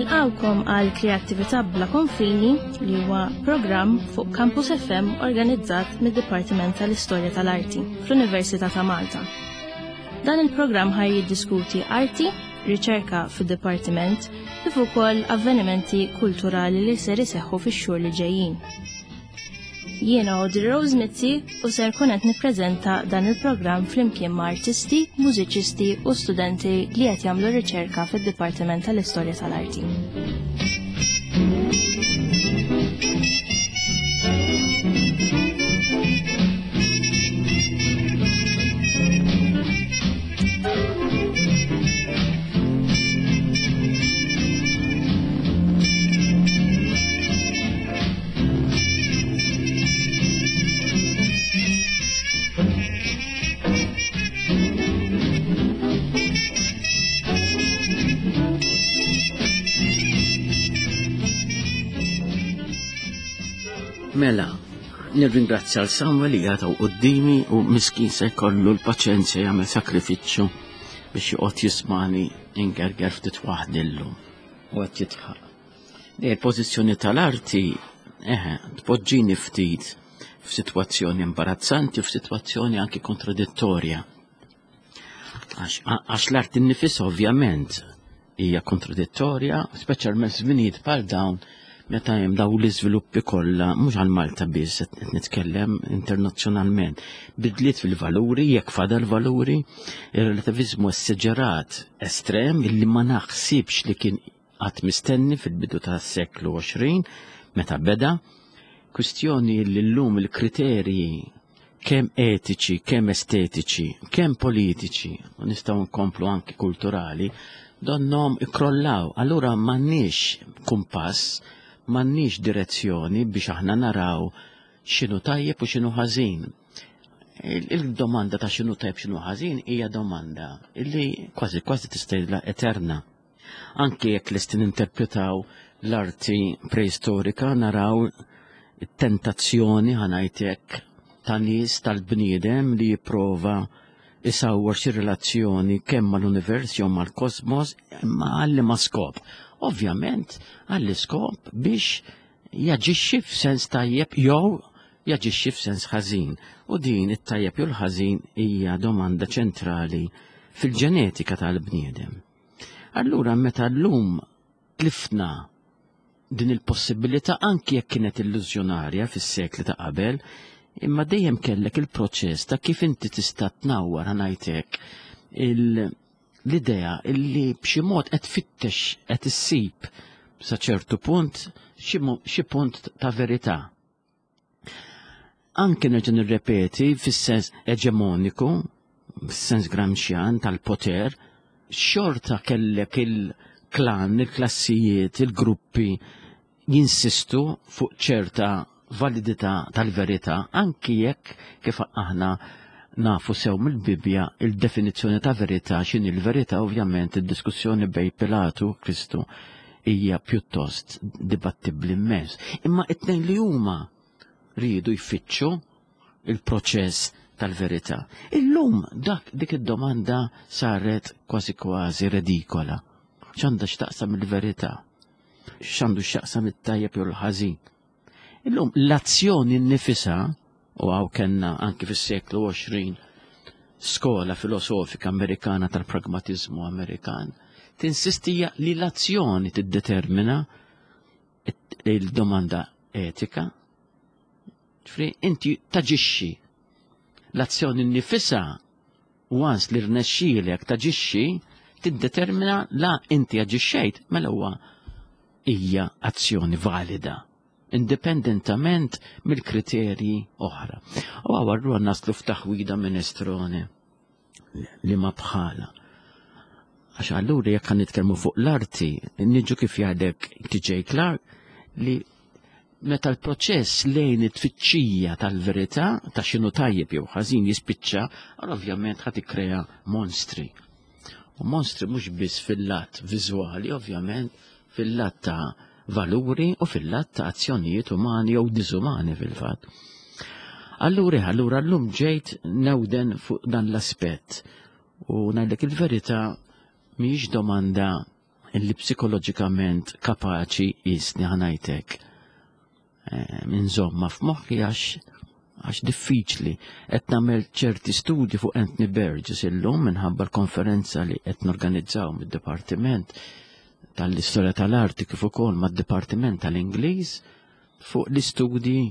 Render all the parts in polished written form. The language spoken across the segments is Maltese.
Nilqawkom għal Kreattività bla konfini li huwa programm fuq Campus FM organizzat mid-Dipartiment tal-Istorja tal-Arti fl-Università ta' Malta. Dan il-programm ħaj jiddiskuti arti, riċerka fid-dipartiment kif ukoll avvenimenti kulturali li ser iseħħu fix-xhur li ġejjin. Jiena Audrey Rose Mizzi u ser kun qed nippreżenta dan il-programm flimkien ma' artisti, mużiċisti u studenti li qed jagħmlu riċerka fid-Dipartiment tal-Istorja tal-Arti. Mela, nirringrazzja l Samuel li għataw qoddimi u miskin se jkollu l-paċenzja jagħmel sakrifiċċju biex joqgħod jismani ingerger ftit waħdillu u qed jitħaq. Il-pożizzjoni tal-arti, eħe, tpoġġini ftit f'sitwazzjoni imbarazzanti u f'sitwazzjoni anki kontradittorja. Għax l-arti nnifisha ovvjament hija kontradittorja, speċjalment żminijiet bħal dawn meta hemm dawn l-iżviluppi kollha mhux għal Malta biss qed nitkellem internazzjonalment. Bidliet fil-valuri, jekk fadal valuri, ir-relativiżmu esseġerat estrem illi ma naħsibx li kien qatt mistenni fil-bidu tas-seklu 20 meta beda, kwistjoni li llum il-kriterji kemm etiċi, kemm estetiċi, kemm politiċi, u nistgħu nkomplu anki kulturali, donnom ikrollaw. Allura m'għandniex kumpass, m'għandniex direzzjoni biex aħna naraw x'inhu tajjeb u x'inhu ħażin. Il-domanda ta' x'inhu tajjeb x'inhu ħażin hija domanda illi kważi kważi tista' eterna. Anke jekk lesti ninterpretaw l-arti preistorika naraw it-tentazzjoni ħanajtek ta' nies tal-bniedem li jipprova isawwar xi relazzjoni kemm mal-univers jew mal-kosmos imma għalli ma skop. Ovvjament għalli skop biex jaġixxi f'sens tajjeb jew jaġixxi f'sens ħażin. U din it-tajjeb jew l-ħażin hija domanda ċentrali fil-ġenetika tal-bniedem. Allura meta llum tlifna din il-possibilità anki jekk kienet illużjonarja fis-sekli ta' qabel, imma dejjem kellek il-proċess ta' kif inti tista' tnawwar ngħidlek l-idea illi b'xi mod qed tfittex qed issib sa ċertu punt xi punt ta' verità. Anke nerġa' nirrepeti fis-sens eġemoniku, fis-sens Gramscian tal-poter, xorta kellek il-klan, il-klassijiet, il-gruppi jinsistu fuq ċerta validità tal-verità, anki jekk kif aħna nafu sew mill-Bibbja il-definizzjoni ta' verità x'inhi l-verità ovvjament id-diskussjoni bej Pilatu u Kristu hija pjuttost dibattibbli immens. Imma it-tnejn li huma riedu jfittxu il-proċess tal-verità. Illum dak dik id-domanda saret kważi kważi redikola. X'għandha x'taqsam il-verità? X'għandu x'jaqsam it-tajjeb jew l-ħażin? Illum l-azzjoni nnifisha u għaw kellna anki fis-seklu 20 skola filosofika Amerikana tal-pragmatizmu Amerikan tinsistija li l-azzjoni tiddetermina il-domanda etika. Ġifri, inti taġixxi l-azzjoni nnifisha once li rnexxielek taġixxi tiddetermina la inti aġixxejt mela huwa hija azzjoni valida indipendentament mill-kriterji oħra. U għawarru naslu f'taħwida minestrone li ma bħala. Għax allura jekk nitkellmu fuq l-arti, niġu kif jgħidek TJ Clark li meta l-proċess lejn it-tfittxija tal-verità ta' x'inhu tajjeb jew ħażin jispiċċa, allura ovvjament ħad ikkrea monstri. U monstri mhux biss fil-lat viżwali, ovvjament, fil-lat ta' valuri u fil-lat ta' azzjonijiet umani jew diżumani fil-fatt. Allura, allura llum ġejt newden fuq dan l-aspett u ngħidlek il-verità mhijiex domanda. illi psikoloġikament kapaċi jisni ħanajtek eh, inżomma f'moħħi għax għax diffiċli. Qed nagħmel ċerti studji fuq Anthony Burgess illum minħabba l-konferenza li qed norganizzaw mid-Dipartiment tal-Istorja tal-Arti kif ukoll mad-Dipartiment tal-Ingliż fuq l-istudji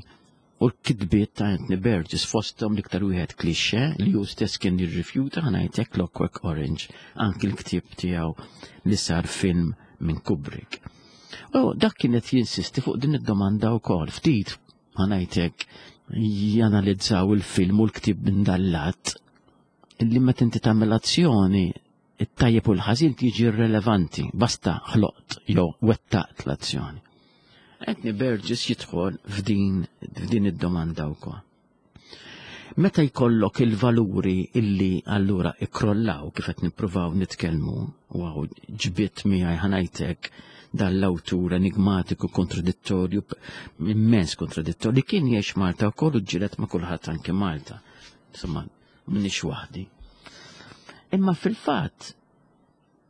u l-kitbiet ta' Anthony Burgess fosthom l-iktar wieħed klixxe li hu stess kien jirrifjuta ħanajtek Clockwork Orange, anki l-ktieb tiegħu li sar film minn Kubrick. U dak kienet jinsisti fuq din id-domanda wkoll ftit ħanajtek janalizzaw il-film u l-ktieb minn dallat illi meta inti tagħmel azzjoni it-tajjeb u l-ħażin tiġi irrelevanti, basta ħloqt jew wettaqt l-azzjoni. Anthony Burgess jidħol f'din f'din id-domanda wkoll. Meta jkollok il-valuri illi allura ikkrollaw kif qed nippruvaw nitkellmu, u hawn ġbidt miegħi ħanajtek dan l-awtur enigmatiku kontradittorju, immens kontradittorju, li kien jgħix Malta wkoll u ġġieled ma' kulħadd anke Malta. Insomma, m'iniex waħdi. Imma fil-fatt,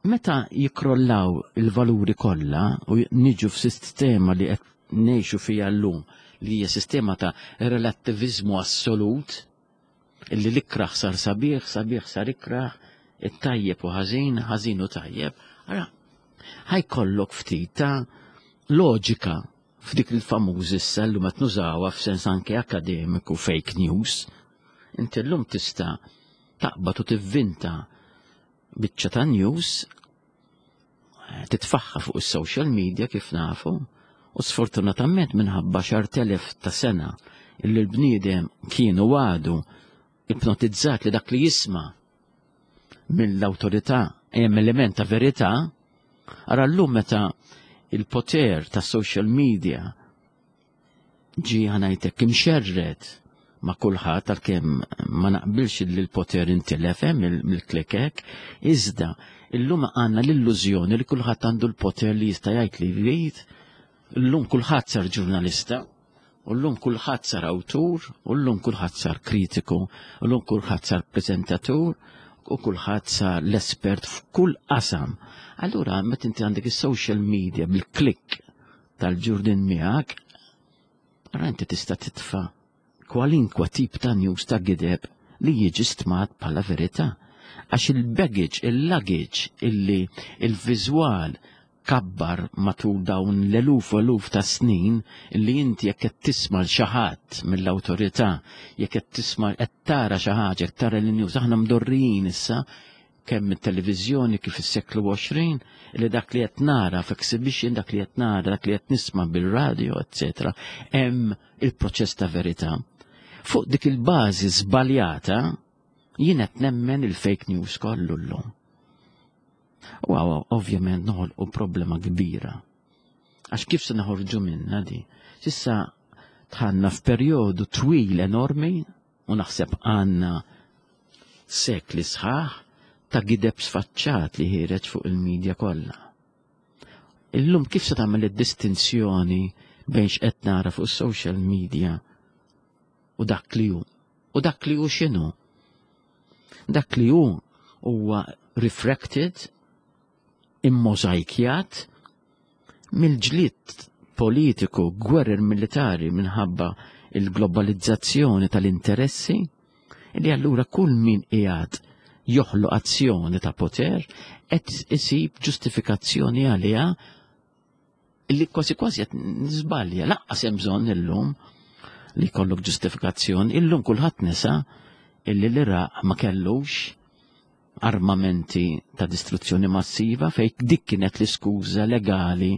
meta jikrollaw il-valuri kollha u niġu f'sistema li qed ngħixu fiha llum li hija sistema ta' relattiviżmu assolut, illi l-ikraħ sar sabiħ, sabiħ sar ikraħ, it-tajjeb u ħażin, ħażin u tajjeb, ara, ħajkollok ftit ta' loġika f'dik il-famuż issa llum qed nużawha f'sens anke akademiku fake news. Inti llum tista' taqbad u tivvinta biċċa ta' news titfaħħa fuq is-social media kif nafu u sfortunatament minħabba xar telef ta' sena illi l-bniedem kienu għadu ipnotizzat li dak li jisma' mill-awtorità hemm element ta' verità, ara llum meta il-poter ta' social media ġi ħanajtek imxerred ma' kulħadd għalkemm ma naqbilx li l-poter intilef eh, mill-klikek, iżda illum għandna l-illużjoni li kulħadd għandu l-poter li jista' jgħid li jrid, illum kulħadd sar ġurnalista, u llum kulħadd sar awtur, u llum kulħadd sar kritiku, u llum kulħadd sar preżentatur, u kulħadd sar l-espert f'kull qasam. Allura meta inti għandek is-social media bil-klik tal-ġurdin miegħek, ara inti tista' titfa' kwalinkwa tip ta' news ta' gideb li jiġi stmat bħala verità. Għax il-baggage, il-luggage, illi il-viżwal kabbar matul dawn l-eluf u eluf ta' snin li inti jekk qed tisma' l xi ħadd mill-awtorità, jekk qed tisma' qed tara xi ħaġa, qed tara l-news, aħna mdorrijin issa kemm mit-televiżjoni kif is-seklu 20 li dak li qed nara f'exhibition, dak li qed nara, dak li qed nisma' bil-radio, etc. Hemm il-proċess ta' verità. Fuq dik il-bażi żbaljata jien qed nemmen il-fake news kollu llum. U għaw, ovvjament noħolqu problema kbira. Għax kif se noħorġu minna di? Sissa tħanna f'perjodu twil enormi u naħseb għandna sekli sħaħ ta' gideb sfaċċat li ħireġ fuq il-medja kollha. Illum kif se tagħmel id-distinzjoni bejn x'qed nara fuq is-social media u dak li hu? U dak li hu x'inhu? Dak li hu huwa refracted, immożajkjat mill-ġlied politiku, gwerer militari minħabba il-globalizzazzjoni tal-interessi, li allura kull min qiegħed joħloq azzjoni ta' poter qed isib ġustifikazzjoni għaliha li kważi kważi qed niżbalja, laqqas hemm bżonn illum li jkollok ġustifikazzjoni, illum kulħadd nesa illi l-Iraq ma kellux armamenti ta' distruzzjoni massiva fej dik kienet l-iskuża legali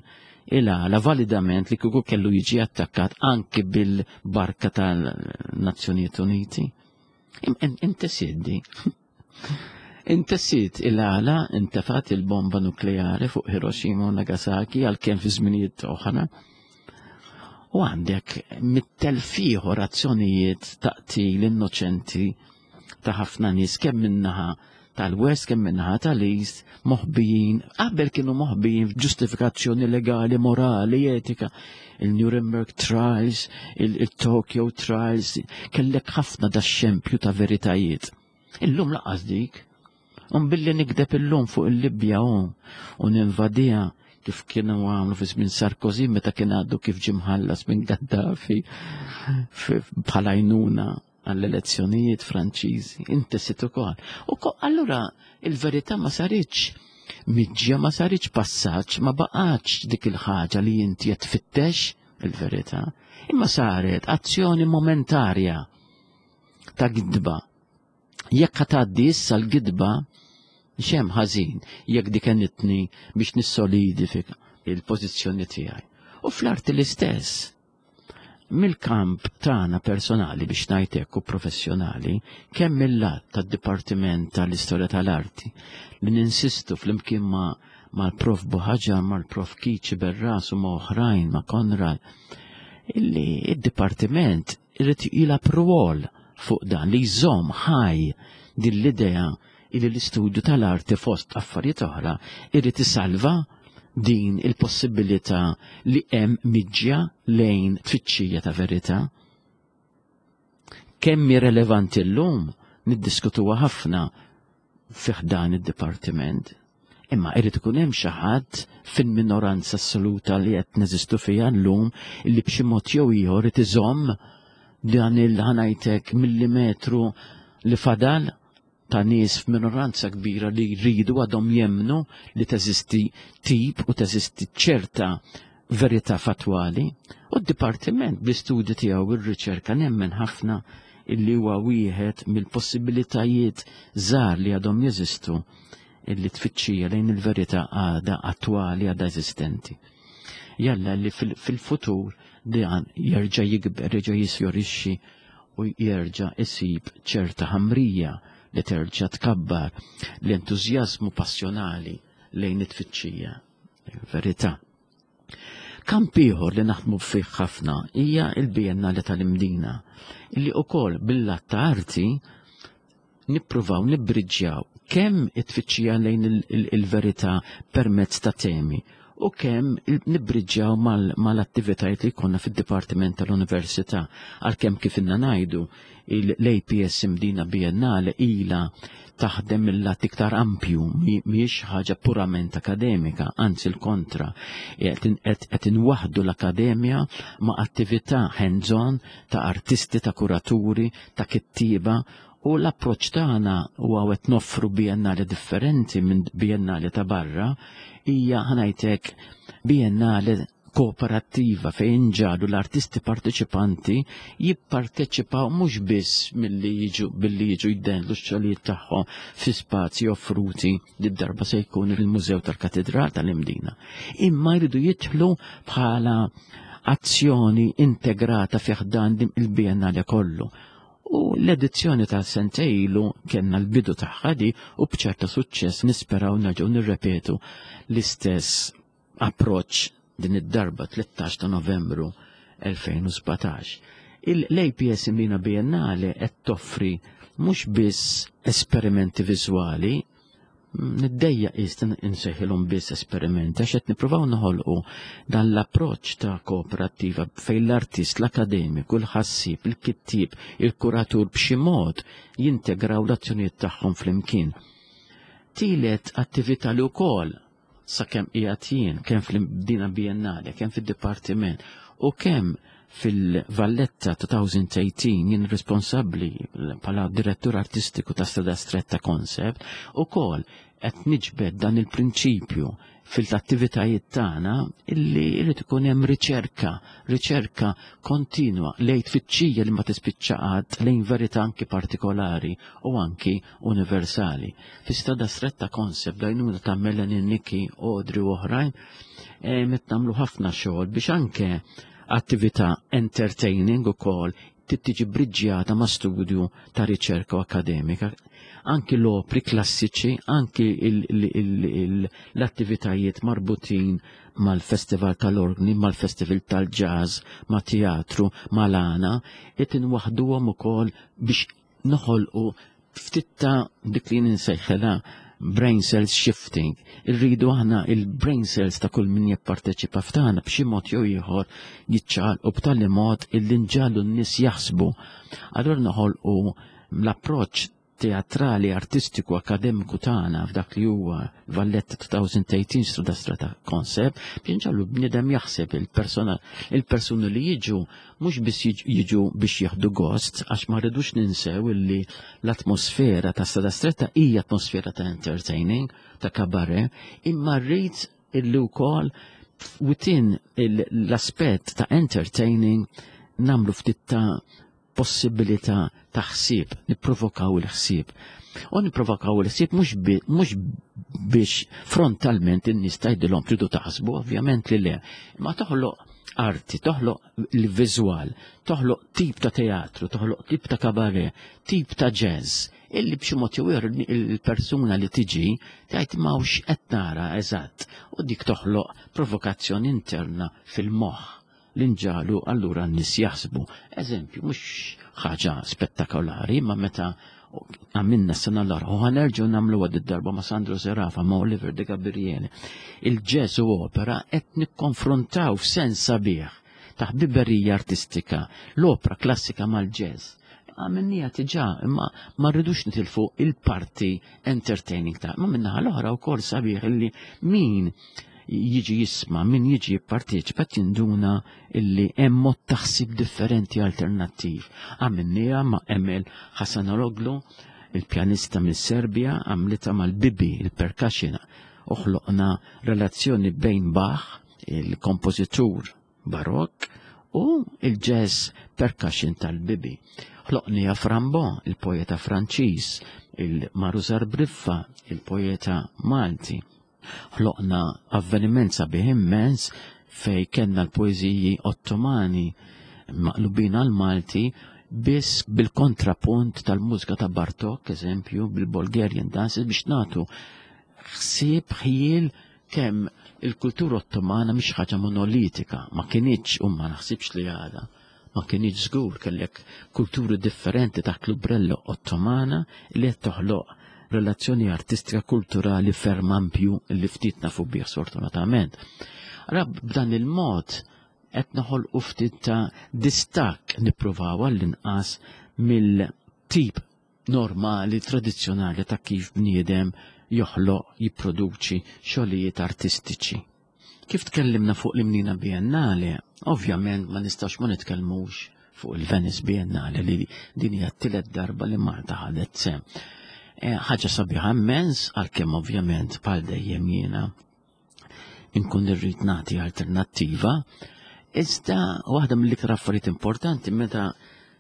il-għala validament li kieku kellu jiġi attakkat anki bil-barka tal-Nazzjonijiet Uniti. Inti siddi. Intessiet il-għala intefat il-bomba nukleari fuq Hiroshima u Nagasaki għalkemm fi żminijiet oħra. U għandek mit-telf ieħor azzjonijiet ta' qtil innoċenti ta' ħafna nies kemm minnaħa tal-West kemm minnaħa tal-East moħbijin, qabel kienu moħbijin f'ġustifikazzjoni legali, morali, etika. Il-Nuremberg Trials, il-Tokyo Trials, kellek ħafna da xempju ta' veritajiet. Illum laqas dik. Un billi nikdeb illum fuq il-Libja u ninvadiha kif kienu għamlu fi żmien Sarkozy meta kien għaddu kif ġie mħallas minn Gaddafi bħala għajnuna għall-elezzjonijiet Franċiżi, inti sit ukoll. U allura il-verità ma saritx miġja, ma saritx passaġġ, ma baqgħetx dik il-ħaġa li inti qed tfittex il-verità, imma saret azzjoni momentarja ta' gidba. Jekk tgħaddi issa l-gidba, xem ħażin jekk dik għenitni biex nissolidifika il-pożizzjoni tiegħi. U fl-arti l-istess. Mill-kamp tagħna personali biex ngħid hekk u professjonali, kemm mill-lat tad-Dipartiment tal-Istorja tal-Arti li ninsistu flimkien ma' mal-Prof Buħaġar, mal-Prof Kiċi Berras u ma' oħrajn, ma' Konrad, illi id-Dipartiment irid jilgħab rwol fuq dan li jżomm ħaj din l-idea illi l-istudju tal-arti fost affarijiet oħra irid isalva din il-possibilità li hemm miġja lejn tfittxija ta' verità. Kemm hi relevanti llum niddiskutuha ħafna fi ħdan id-dipartiment. Imma irid ikun hemm xi ħadd fil-minoranza assoluta li qed neżistu fiha llum li b'xi mod jew ieħor irid iżomm dan il-ħanajtek millimetru li fadal ta' nies f'minoranza kbira li jridu għadhom jemmnu li teżisti tip u teżisti ċerta verità fatwali u d-dipartiment bl-istudji tiegħu ir-riċerka nemmen ħafna illi huwa wieħed mill-possibilitajiet żgħar li għadhom jeżistu illi tfittxija lejn il-verità għadha attwali għadha eżistenti. Jalla li fil-futur dan jerġa' jikber, jerġa' jisjorixxi u jerġa' isib ċerta ħamrija li terġa' tkabbar l-entużjażmu passjonali lejn it-tfittxija verità. Kamp ieħor li naħdmu fih ħafna hija l-Biennale tal-Imdina, illi wkoll bil-lat ta' arti nippruvaw nibbriġġjaw kemm it-tfittxija lejn il-verità permezz ta' temi u kemm nibbriġġjaw mal-attivitajiet li jkollna fid-Dipartiment tal-Università għalkemm kif inna ngħidu l-APS Imdina Biennale ilha taħdem mill-lat iktar ampju, mhijiex ħaġa purament akademika, anzi l-kontra. Qed inwaħdu l-akademja ma' attività hands-on ta' artisti, ta' kuraturi, ta' kittieba u l-approċċ tagħna huwa qed noffru biennale differenti minn biennale ta' barra hija ħanajtek biennale kooperattiva fejn ġalu l-artisti parteċipanti jipparteċipaw mhux biss milli jiġu billi jiġu jdenlu x-xogħlijiet tagħhom fi spazji offruti li darba se jkun il-Mużew tal-Katedral tal-Imdina. Imma jridu jidħlu bħala azzjoni integrata fi ħdan il-Biennale kollu. U l-edizzjoni ta' sentejlu kellna l-bidu tagħha di u b'ċerta suċċess nisperaw nerġgħu nirrepetu l-istess approċċ din id-darba 13 ta' Novembru 2017. Il-APS Imlina Biennale qed toffri mhux biss esperimenti viżwali, niddejja qis insejħilhom biss esperimenti għax qed nippruvaw noħolqu dan l-approċċ ta' kooperattiva fejn l-artist, l-akademiku, l-ħassieb, il-kittieb, il-kuratur b'xi mod jintegraw l-azzjonijiet tagħhom flimkien. Tielet attività li wkoll sakemm qiegħed jien, kemm fl-Dina Biennale, kemm fid-Dipartiment u kemm fil-Valletta 2018 jien responsabbli bħala direttur artistiku ta' Strada Stretta Concept ukoll qed niġbed dan il-prinċipju fil-attivitajiet tagħna illi jrid ikun hemm riċerka, riċerka kontinwa lejn tfittxija li ma tispiċċa qatt lejn verità anki partikolari u anki universali. Fi Strada Stretta Concept bl-għajnuna ta' Melanie Nikki, Audrey u oħrajn, eh, qed nagħmlu ħafna xogħol biex anke attività entertaining ukoll tiġi briġġjata ma' studju ta' riċerka u akademika. Anki l-opri klassiċi, anki l-attivitajiet marbutin mal-festival tal-orgni, mal-festival tal-jazz, ma' teatru, mal-għana, qed inwaħduhom ukoll biex noħolqu ftit ta' dik li ninsejħilha brain cells shifting. Irridu aħna il-brain cells ta' kull min jipparteċipa f'tagħna b'xi mod jew ieħor jiċċaqalqu b'tali mod illi nġagħlu n-nies jaħsbu. Allura noħolqu l-approċċ teatrali, artistiku, akademiku tagħna f'dak li huwa Valletta 2018 Strada Strata Concept biex nġallu bniedem jaħseb il-persona il-persuni li jiġu mhux biss jiġu biex jieħdu gost għax ma rridux ninsew illi l-atmosfera ta' Strada Stretta hija atmosfera ta' entertaining, ta' cabaret, imma rrid illi wkoll within l-aspett ta' entertaining namlu ftit ta' possibilità ta' ħsieb, nipprovokaw il-ħsieb. U nipprovokaw il-ħsieb mhux biex frontalment in-nies tgħidilhom tridu taħsbu, ovvjament li le, ma toħloq arti, toħloq il-viżwal, toħloq tip ta' teatru, toħloq tip ta' kabaret, tip ta' jazz, illi b'xi mod jew il-persuna li tiġi tgħid ma hux qed nara eżatt u dik toħloq provokazzjoni interna fil-moħħ li nġalu allura n-nies jaħsbu. Eżempju, mhux ħaġa spettakolari, ma meta għamilna s-sena l-oħra, u ħanerġgħu nagħmlu għad id-darba ma' Sandro Serafa, ma' Oliver De Gabriele. Il-jazz u opera qed nikkonfrontaw f'sens sabiħ ta' ħbiberija artistika, l-opra klassika mal-jazz. Għamilnija tiġa, imma ma rridux nitilfu il-parti entertaining ta' ma minnaħa l-oħra wkoll sabiħ illi min jiġi jisma, min jiġi jipparteċipa jinduna illi hemm mod taħsib differenti alternattiv. Għamilniha ma' Emel Hasanoglu, il-pjanista mis-Serbja, għamlitha mal-bibi, il-percussion, uħloqna relazzjoni bejn Bach, il-kompożitur barokk, u il-jazz percussion tal-bibi. Ħloqnija Frambo, il-poeta Franċiż, il-Maruzar Briffa, il-poeta Malti. Ħloqna avveniment sabiħ immens fej kellna l-poeżiji Ottomani maqlubin għal Malti biss bil-kontrapunt tal-mużika ta' Bartok, eżempju, bil-Bulgarian dances biex nagħtu ħsieb ħjiel kemm il-kultura Ottomana mhix ħaġa monolitika, ma kinitx u ma naħsibx li għadha ma kinitx żgur kellek kulturi differenti taħt l-umbrella Ottomana li qed toħloq relazzjoni artistika kulturali ferm ampju li ftit nafu bih sfortunatament. Allora b'dan il-mod qed noħolqu ftit ta' distakk nippruvaw għall-inqas mill-tip normali, tradizzjonali ta' kif bniedem joħloq jipproduċi xogħlijiet artistiċi. Kif tkellimna fuq l-Imnina Biennale, ovvjament ma nistax ma nitkellmux fuq il-Venice Biennale li din hija t-tielet darba li Malta ħadet sehem. Ħaġa sabiħa immens għalkemm ovvjament bħal dejjem jiena inkun irrid nagħti alternattiva, iżda waħda mill-iktar affarijiet importanti meta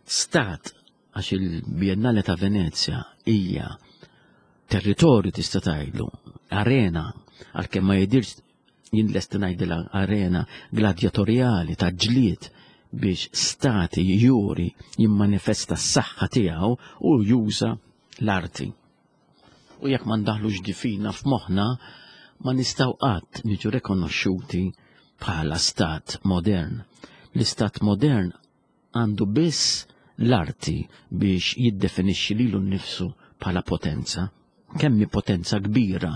stat għax il-Biennale ta' Venezja hija territorju tista' tgħidlu, arena, għalkemm ma jidirx jien lest ngħidilha arena gladjatorjali ta' ġlied biex stati juri jimmanifesta s-saħħa tiegħu u juża l-arti. U jekk ma ndaħlux difina f'moħħna, ma nistgħu qatt niġu rekonoxxuti bħala stat modern. L-istat modern għandu biss l-arti biex jiddefinixxi lilu nnifsu bħala potenza. Kemm hi potenza kbira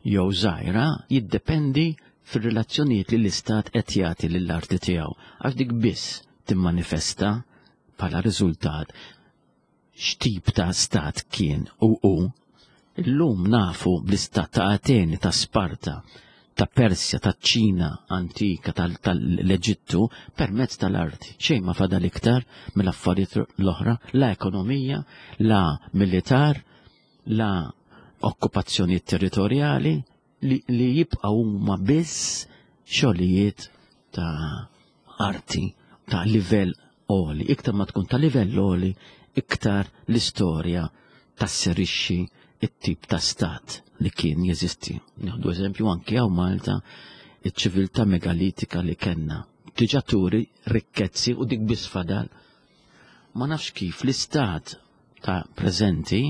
jew żgħira jiddependi fir-relazzjonijiet li l-istat qed jagħti lill-arti tiegħu, għax dik biss timmanifesta bħala riżultat x'tip ta' stat kien u hu. Illum nafu bl-istat ta' Ateni, ta' Sparta, ta' Persja, ta' Ċina antika, tal-Eġittu, permezz tal-arti. Xejn ma fadal iktar mill-affarijiet l-oħra, la ekonomija, la militar, la okkupazzjonijiet territorjali, li, li jibqgħu huma biss xogħlijiet ta' arti ta' livell għoli. Iktar ma tkun ta' livell għoli, iktar l-istorja tasserixxi it-tip ta' stat li kien jeżisti. Nieħdu eżempju anki hawn Malta iċ-ċiviltà megalitika li kellna. Diġà turi rikkezzi u dik biss fadal. Ma nafx kif l-istat ta' preżenti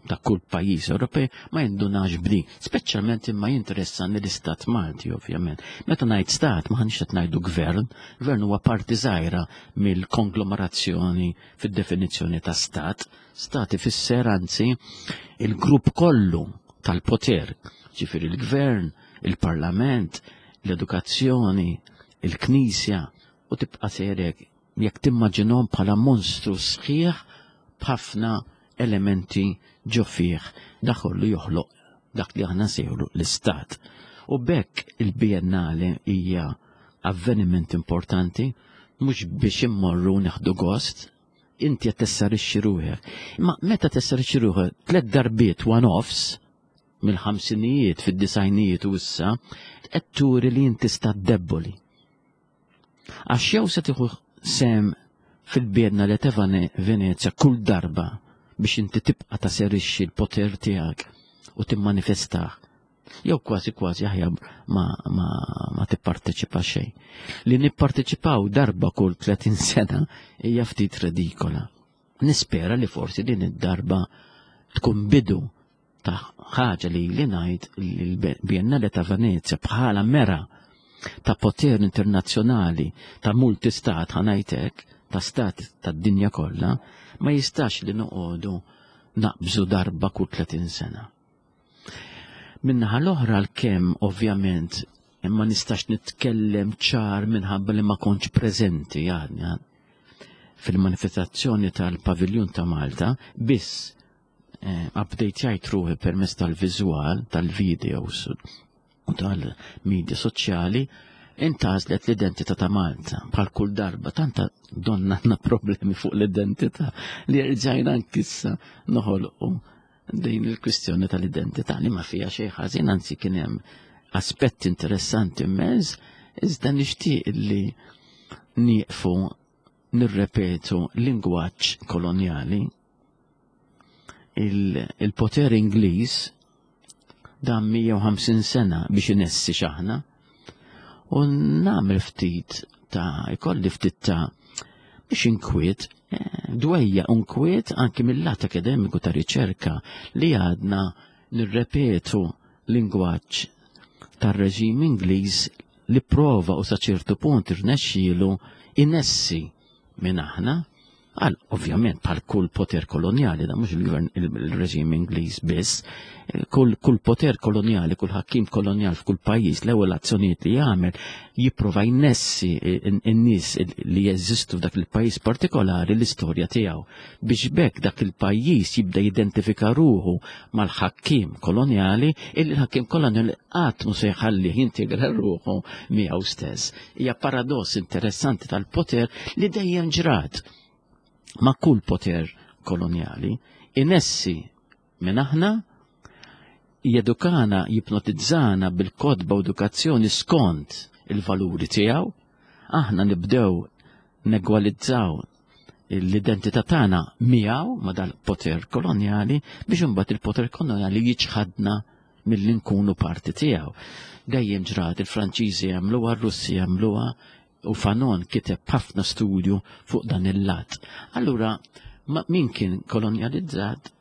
ta' kull pajjiż Ewropej ma jindunax b'di, speċjalment imma jinteressani l-istat Malti ovvjament. Meta ngħid stat ma ħanix qed ngħidu gvern, gvern huwa parti żgħira mill-konglomerazzjoni fid-definizzjoni ta' stat. Stat ifisser anzi il-grupp kollu tal-poter, ġifieri l-gvern, il-parlament, l-edukazzjoni, il-knisja u tibqa' sejrek jekk timmaġinhom bħala monstru sħiħ b'ħafna elementi ġo fih dak kollu joħloq dak li aħna nsejħulu l-istat. U b'hekk il-Biennale hija avveniment importanti mhux biex immorru neħdu gost, inti qed tessarixxi ruħek. Imma meta tessarixxi ruħek tliet darbiet one-offs mill-ħamsinijiet fid-disajnijiet u issa qed turi li inti stat debboli. Għax jew se tieħu sem fil-biedna li ta' Venezja kull darba biex inti tibqa' taserixxi l-poter tiegħek u timmanifestah. Jew kważi kważi aħjar ma, ma, ma tipparteċipa xejn. Li nipparteċipaw darba kull 30 sena hija ftit redikola. Nispera li forsi din id-darba tkun bidu ta' ħaġa li li ngħid li l-Biennale ta' Venezia bħala mera ta' poter internazzjonali ta' multistat ħanajtek ta' stat tad-dinja kollha ma jistax li noqogħdu naqbżu darba kull 30 sena. Minnaħa l-oħra l-kemm ovvjament ma nistax nitkellem ċar minħabba li ma kontx preżenti għadni fil-manifestazzjoni tal-Paviljun ta' Malta biss eh, update ruħi permezz tal-viżwal, tal-videos u tal-medja soċjali, intgħażlet l-identità ta' Malta. Bħal kull darba, tanta donna għandna problemi fuq l-identità li rġajna nkissa noħolqu din il-kwistjoni tal-identità li ma fija xejn ħażin, anzi kien hemm aspetti interessanti immens, iżda nixtieq li nieqfu nirrepetu lingwaġġ kolonjali il-poter Ingliż dam 150 sena biex inessi xaħna u nagħmel ftit ta' ikolli ftit ta' biex inkwiet eh, dwejja unkwiet anki mill-lat akademiku ta' riċerka li għadna nirrepetu lingwaġġ tar-reġim Ingliż li prova u sa ċertu punt irnexxielu inessi minn aħna Għal, ovvjament, bħal kull poter kolonjali, da mhux il-gvern il-reġim Ingliż biss, kull, kull poter kolonjali, kull ħakkim kolonjal f'kull pajjiż, l-ewwel azzjonijiet li jagħmel jipprova jnessi n-nies li jeżistu f'dak il-pajjiż partikolari l-istorja tiegħu biex bekk dak il-pajjiż jibda jidentifika ruħu mal-ħakkim kolonjali illi l-ħakkim kolonjali qatt mhu se jħallih jintegra ruħu miegħu stess. Hija paradoss interessanti tal-poter li dejjem ġrat ma' kull poter kolonjali, inessi minn aħna, jedukana, jipnotizzana bil-kodba u edukazzjoni skont il-valuri tiegħu, aħna nibdew negwalizzaw l-identità tagħna miegħu ma' dal-poter kolonjali biex imbagħad il-poter kolonjali jiċħadna milli nkunu parti tiegħu. Dejjem ġrat il-Franċiżi jagħmluha, r-Russi jagħmluha u Fanon kiteb ħafna studju fuq dan il-lat. Allura, min kien kolonjalizzat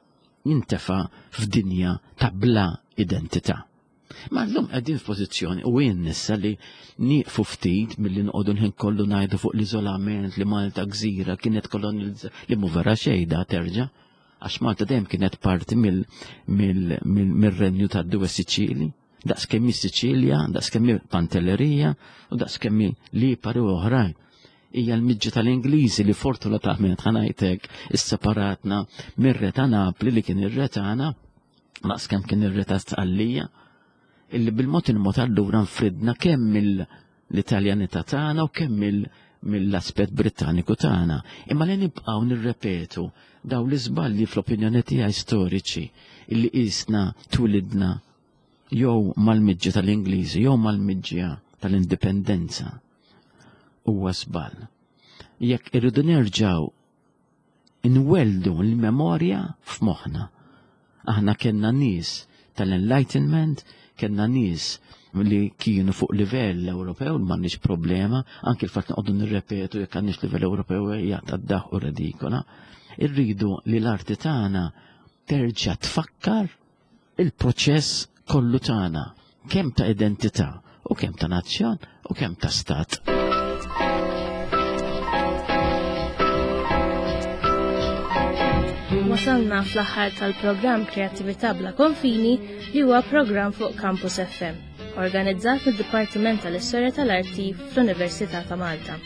jintefa f'dinja ta' bla identità. Ma llum qegħdin f'pożizzjoni u jien nissa li nieqfu ftit milli noqogħdu l-ħin kollu ngħidu fuq l-iżolament li Malta gżira kienet kolonjalizzata li mhu vera xejn da terġa' għax Malta dejjem kienet parti mill-renju tad-Due Siċili, daqs kemm Siċilja, daqs kemm Pantellerija u daqs kemm Lipari u oħrajn. Hija l-miġġa tal-Ingliżi li fortunatament ħanajtek isseparatna mir-re ta' Napli li kien ir-re tagħna, daqs kemm kien ir-re ta' Sqallija, illi bil-mod il-mod allura nfridna kemm mill-Italjanità tagħna u kemm mill-aspett Brittaniku tagħna. Imma li nibqgħu nirrepetu daw l-iżbalji fl-opinjoni tiegħi storiċi illi qisna twilidna jew mal-miġġa tal-Ingliżi jew mal-miġġa tal-indipendenza huwa żball. Jekk irridu nerġgħu Inwelldu l-memorja f'moħħna. Aħna kellna nies tal-Enlightenment, kellna nies li kienu fuq livell Ewropew, m'għandniex problema, anki l-fatt noqogħdu nirrepetu jekk għandniex livell Ewropew hija tad-daħ u redikola. Irridu li l-arti tagħna terġa' tfakkar il-proċess kollu tagħna, kemm ta' identità u kemm ta' nazzjon u kemm ta' stat. Wasalna fl-aħħar tal-programm Kreattività bla konfini li huwa programm fuq Campus FM, organizzat mid-Dipartiment tal-Istorja tal-Arti fl-Università ta' Malta.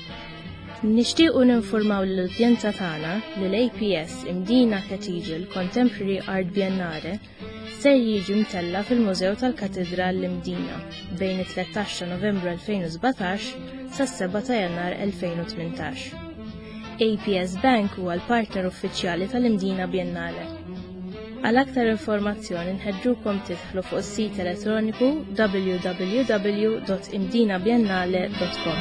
Nixtiequ ninfurmaw lill-udjenza tagħna li l-APS Imdina Cathedral Contemporary Art Biennale ser jiġi mtella' fil-Mużew tal-Katidral l-Imdina bejn it-13 ta' Novembru 2017 sas-7 ta' Jannar 2018. APS Bank huwa l-partner uffiċjali tal-Imdina Biennale. Għal aktar informazzjoni nħeġġukom tidħlu fuq is-sit elettroniku www.imdinabiennale.com.